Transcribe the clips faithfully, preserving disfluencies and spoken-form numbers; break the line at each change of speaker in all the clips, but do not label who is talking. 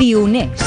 Pioners.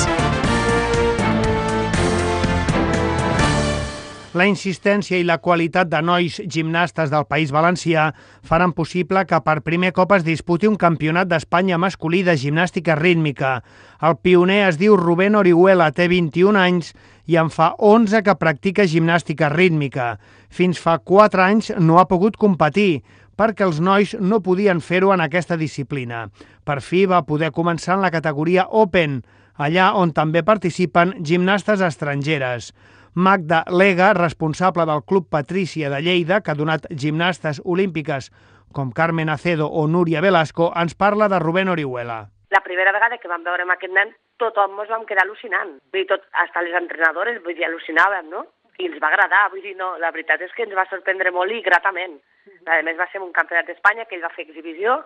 La insistència i la qualitat de nois gimnastes del País Valencià faran possible que per primer cop es disputi un campionat d'Espanya masculí de gimnàstica rítmica. El pioner es diu Rubén Orihuela, té vint-i-un anys i en fa onze que practica gimnàstica rítmica. Fins fa quatre anys no ha pogut competir, perquè els nois no podien fer-ho en aquesta disciplina. Per fi va poder començar en la categoria Open, allà on també participen gimnastes estrangeres. Magda Lega, responsable del Club Patrícia de Lleida, que ha donat gimnastes olímpiques com Carmen Acedo o Núria Velasco, ens parla de Rubén Orihuela.
La primera vegada que vam veure amb aquest nen, tothom ens vam quedar al·lucinant. Vull dir, tot, hasta les entrenadores, vull dir, al·lucinàvem, no? I ens va agradar, vull dir, no, la veritat és que ens va sorprendre molt i gratament. A més, va ser un campionat d'Espanya que ell va fer exhibició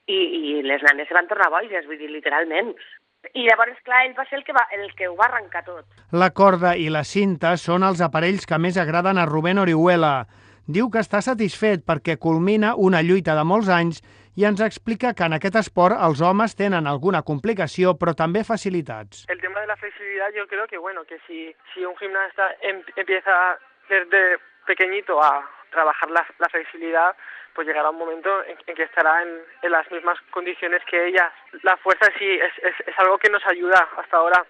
i, i les nenes se van tornar boges, vull dir, literalment. I llavors, clar, ell va ser el que, va, el que ho va arrencar tot.
La corda i la cinta són els aparells que més agraden a Rubén Orihuela. Diu que està satisfet perquè culmina una lluita de molts anys i ens explica que en aquest esport els homes tenen alguna complicació, però també facilitats.
El tema de la flexibilidad, yo creo que, bueno, que si, si un gimnasta em, empieza desde pequeñito a trabajar la, la flexibilidad, pues llegará un momento en, en que estará en, en las mismas condiciones que ellas. La fuerza sí es, es, es algo que nos ayuda hasta ahora.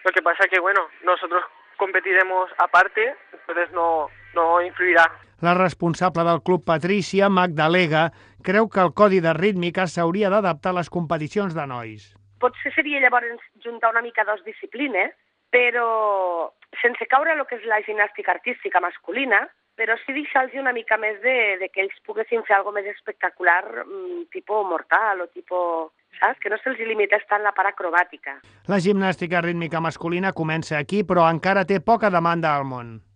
Lo que pasa que, bueno, nosotros competiremos aparte, entonces no, no influirá.
La responsable del Club Patrícia, Magda Lega, creu que el codi de rítmica s'hauria d'adaptar a les competicions de nois.
Potser seria llavors juntar una mica dos disciplines, però sense caure el que és la gimnàstica artística masculina, però sí deixar-los una mica més de, de que ells poguessin fer alguna més espectacular, tipus mortal o tipus, saps? Que no se'ls limités tant la part acrobàtica.
La gimnàstica rítmica masculina comença aquí, però encara té poca demanda al món.